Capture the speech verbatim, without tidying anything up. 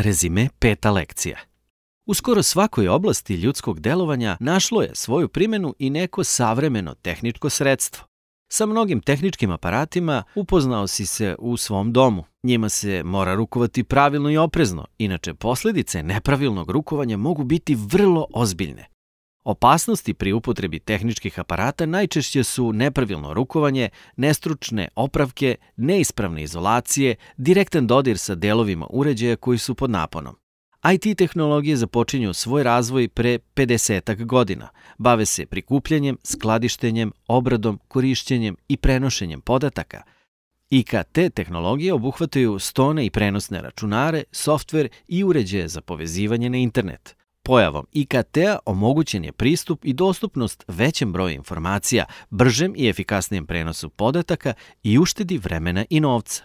Rezime peta lekcija. U skoro svakoj oblasti ljudskog delovanja našlo je svoju primenu i neko savremeno tehničko sredstvo. Sa mnogim tehničkim aparatima upoznao si se u svom domu. Njima se mora rukovati pravilno i oprezno, inače posljedice nepravilnog rukovanja mogu biti vrlo ozbiljne. Opasnosti pri upotrebi tehničkih aparata najčešće su nepravilno rukovanje, nestručne opravke, neispravne izolacije, direktan dodir sa delovima uređaja koji su pod naponom. I T tehnologije započinju svoj razvoj pre pedesetak godina. Bave se prikupljanjem, skladištenjem, obradom, korišćenjem i prenošenjem podataka. I K T tehnologije obuhvataju stone i prenosne računare, softver i uređaje za povezivanje na internet. Pojavom I K T-a omogućen je pristup i dostupnost većem broju informacija, bržem i efikasnijem prenosu podataka i uštedi vremena i novca.